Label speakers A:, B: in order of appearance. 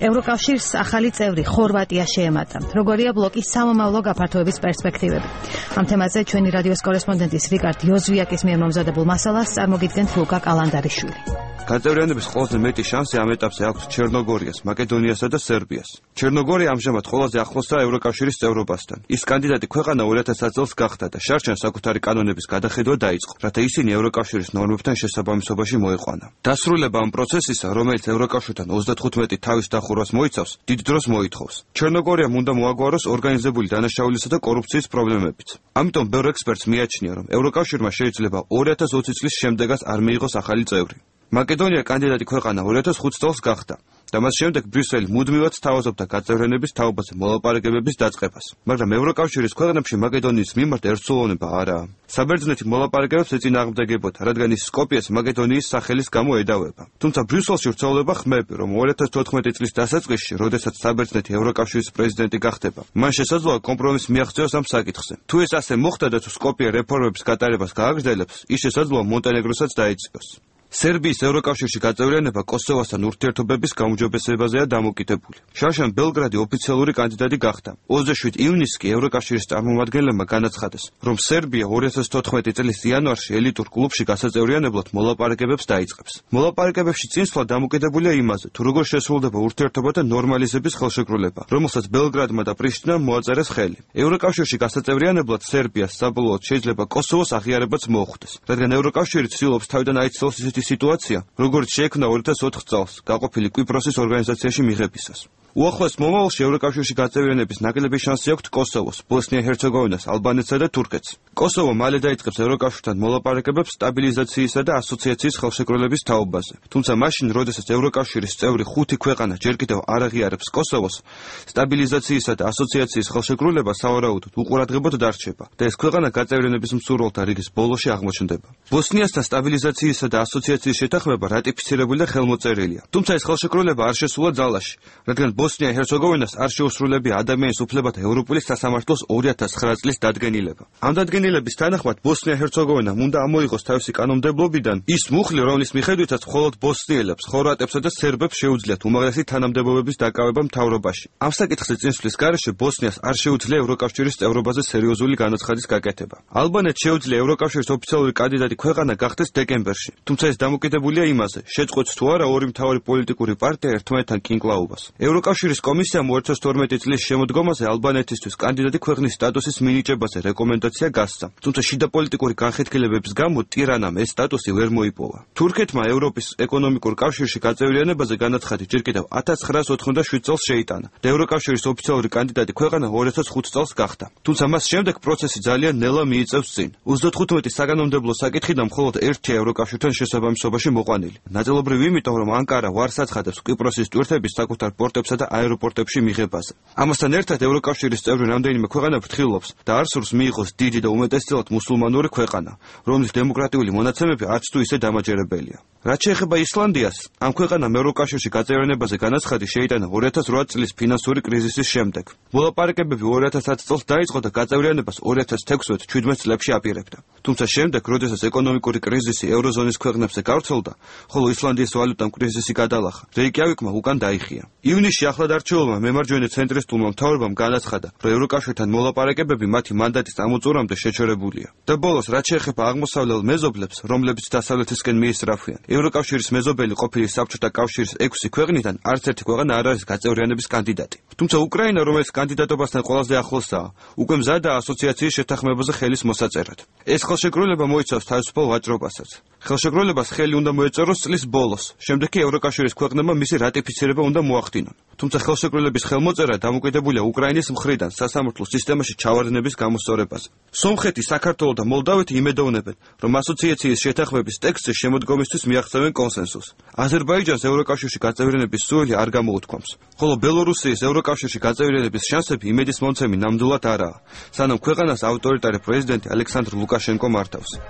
A: ევროკავშირს ახალი წევრი ხორვატია შეემატა. როგორია ბლოკის სამომავლო გაფართოების პერსპექტივები? ამ თემაზე ჩვენი რადიოს კორესპონდენტის რიკარდ იოზვიაკის მიერ მომზადებულ მასალას წარმოგიდგენთ ლუკა კალანდარიშვილი.
B: გაწევრიანების ყველაზე მეტი შანსი ამ ეტაპზე აქვს ჩერნოგორიას, მაკედონიასა და სერბიას. ჩერნოგორია ამჟამად ყველაზე ახლოსაა ევროკავშირის წევრობასთან. ის კანდიდატი ქვეყანა 2000 წელს გახდა და შარჩენს საკუთარი კანონების გადახედვა დაიწყო, რათა ისინი ევროკავშირის ნორმებთან შესაბამისობაში მოეყვანა. დასრულება ამ პროცესისა, რომელიც ევროკავშირთან 35 თავის დახურვას მოიცავს, დიდ დროს მოითხოვს. ჩერნოგორიამ უნდა მოაგვაროს ორგანიზებული დანაშაულისა და კორუფციის პრობლემებიც. ამიტომ ბევრ ექსპერტს მიაჩნია, რომ ევროკავშირმა შეიძლება 2020 წლის შემდეგაც არ მიიღოს ახალი წევრი. მაკედონია კანდიდატი ქვეყანა 2005 წელს გახდა და მას შემდეგ ბრიუსელი მუდმივად სთავაზობდა გაწევრიანების თაობაზე მოლაპარაკებების დაწყებას, მაგრამ ევროკავშირის ქვეყნებში მაკედონიის მიმართ ერთსულოვნება არაა. საბერძნეთი მოლაპარაკებებს ეწინააღმდეგებოდა, რადგან ის სკოპიეს მაკედონიის სახელის გამო ედავება. თუმცა ბრიუსელში ვრცელდება ხმები, რომ 2014 წლის დასაწყისში, როდესაც საბერძნეთი ევროკავშირის პრეზიდენტი გახდება, მან შესაძლოა კომპრომისი მიაღწიოს ამ საკითხზე. თუ ეს ასე მოხდა და თუ სკოპიე რეფორმების გატარებას გააგრძელებს, ის შესაძლოა მონტენეგროსაც დაეწიოს. სერბიის ევროკავშირში გაწევრიანება კოსოვოსთან ურთიერთობების გაუმჯობესებაზეა დამოკიდებული. შარშან ბელგრადი ოფიციალური კანდიდატი გახდა. 27 ივნისს კი ევროკავშირის წარმომადგენლებმა განაცხადეს, რომ სერბია 2014 წლის იანვარში ელიტურ კლუბში გასაწევრიანებლად მოლაპარაკებებს დაიწყებს. მოლაპარაკებებში წინსვლა დამოკიდებულია იმაზე, თუ როგორ შესრულდება ურთიერთობათა ნორმალიზების ხელშეკრულება, რომელსაც ბელგრადმა და პრიშტინამ მოაწერეს ხელი. ევროკავშირში გასაწევრიანებლად სერბიას საბოლოოდ შეიძლება კოსოვოს აღიარებაც მოუხდეს, რადგან ევროკავშირი ცდილობს თავიდან აიცილოს ისეთი სიტუაცია, როგორც შეექმნა 2004 წელს გაყოფილი კვიპროსის ორგანიზაციაში მიღებისას. უახლოეს მომავალში ევროკავშირში გაწევრიანების ნაკლები შანსი აქვთ კოსოვოს, ბოსნია-ჰერცეგოვინას, ალბანეთსა და თურქეთს. კოსოვო მალე დაიწყებს ევროკავშირთან მოლაპარაკებებს სტაბილიზაციისა და ასოციაციის ხელშეკრულების თაობაზე. თუმცა მაშინ, როდესაც ევროკავშირის წევრი 5 ქვეყანა ჯერ კიდევ არ აღიარებს კოსოვოს, სტაბილიზაციისა და ასოციაციის ხელშეკრულება სავარაუდოდ უყურადღებოდ დარჩება და ეს ქვეყანა გაწევრიანების მსურველთა რიგის ბოლოში აღმოჩნდება. ბოსნიასთან სტაბილიზაციისა და ასოციაციის შეთანხმება რატიფიცირებული და ხელმოწერილია. თუმცა ეს ხელშეკრულება არ შესულა ძალაში, რადგან ბოსნია-ჰერცეგოვინას არ შეუსრულებია ადამიანის უფლებათა ევროპული სასამართლოს 2009 წლის დადგენილება. ამ დადგენილების თანახმად ბოსნია-ჰერცეგოვინამ უნდა ამოიღოს თავისი კანონმდებლობიდან ის მუხლი, რომლის მიხედვითაც მხოლოდ ბოსნიელებს, ხორვატებსა და სერბებს შეუძლიათ უმაღლესი თანამდებობების დაკავება მთავრობაში. ამ საკითხზე წინსვლის გარეშე ბოსნიას არ შეუძლია ევროკავშირის წევრობაზე სერიოზული განაცხადის გაკეთება. ალბანეთს შეუძლია ევროკავშირის ოფიციალური კანდიდატი ქვეყანა გახდეს დეკემბერში, თუმცა ეს დამოკიდებულია იმაზე, შეწყვეტს თუ არა ორი მთავარი პოლიტიკური პარტია ერთმანეთთან კინკლაობას. ევროკავშირის კომისიამ 2012 წლის შემოდგომაზე ალბანეთისთვის კანდიდატი ქვეყნის სტატუსის მინიჭებაზე რეკომენდაცია გასცა, თუმცა შიდა პოლიტიკური განხეთქილებების გამო ტირანამ ეს სტატუსი ვერ მოიპოვა. თურქეთმა ევროპის ეკონომიკურ კავშირში გაწევრიანებაზე განაცხადი ჯერ კიდევ 1987 წელს შეიტანა და ევროკავშირის ოფიციალური კანდიდატი ქვეყანა 2005 წელს გახდა. თუმცა მას შემდეგ პროცესი ძალიან ნელა მიიწევს წინ. 35 საკანონმდებლო საკითხიდან მხოლოდ ერთია ევროკავშირთან შესაბამისობაში მოყვანილი. ნაწილობრივ იმიტომ, რომ ანკარა ვარს აცხადებს კვიპროსის ტვირთების საკუთარ პორტებსა და აეროპორტებში მიღებაზე. ამასთან ერთად ევროკავშირის წევრი რამდენიმე ქვეყანა ფრთხილობს და არ სურს მიიღოს დიდი და უმეტესწილად მუსულმანური ქვეყანა, რომლის დემოკრატიული მონაცემები არც თუ ისე დამაჯერებელია. რაც შეეხება ისლანდიას, ამ ქვეყანამ ევროკავშირში გაწევრიანებაზე განაცხადი შეიტანა 2008 წლის ფინანსური კრიზისის შემდეგ. მოლაპარაკებები 2010 წელს დაიწყო და გაწევრიანებას 2016-17 წლებში აპირებდა. თუმცა შემდეგ, როდესაც ეკონომიკური კრიზისი ევროზონის ქვეყნებზე გავრცელდა, ხოლო ისლანდიის ვალუტამ კრიზისი გადალახა, რეიკიავიკმა უკან დაიხია. ივნისში ახლად არჩეულმა მემარჯვენე ცენტრისტულმა მთავრობამ განაცხადა, რომ ევროკავშირთან მოლაპარაკებები მათი მანდატის წამოწურამდე შეჩერებულია. და ბოლოს, რაც შეეხება აღმოსავლელ მეზობლებს, რომლებიც დასავლეთისკენ მიისწრაფვიან, ევროკავშირის მეზობელი ყოფილი საბჭოთა კავშირის 6 ქვეყნიდან არც ერთი ქვეყანა არ არის გაწევრიანების კანდიდატი. თუმცა უკრაინა, რომელიც კანდიდატობასთან ყველაზე ახლოსაა, უკვე მზადაა ასოციაციის შეთანხმებაზე ხელის მოსაწერად. ეს ხელშეკრულება მოიცავს თავისუფალ ვაჭრობასაც. ხელშეკრულებას ხელი უნდა მოეწეროს წლის ბოლოს, შემდეგ კი ევროკავშირის ქვეყნებმა მისი რატიფიცირება უნდა მოახდინონ. თუმცა ხელშეკრულების ხელმოწერა დამოკიდებულია უკრაინის მხრიდან სასამართლო სისტემაში ჩავარდნების გამოსწორებაზე. სომხეთი, საქართველო და მოლდავეთი იმედოვნებენ, რომ ასოციაციის შეთანხმების ტექსტზე შემოდგომისთვის მიაღწევენ კონსენსუსს. აზერბაიჯანს ევროკავშირში გაწევრიანების სურვილი არ გამოუთქვამს, ხოლო ბელორუსიის ევროკავშირში გაწევრიანების შანსები იმედისმომცემი ნამდვილად არაა, სანამ ქვეყანას ავტორიტარი პრეზიდენტი ალექსანდრ ლუკაშენკო მართავს.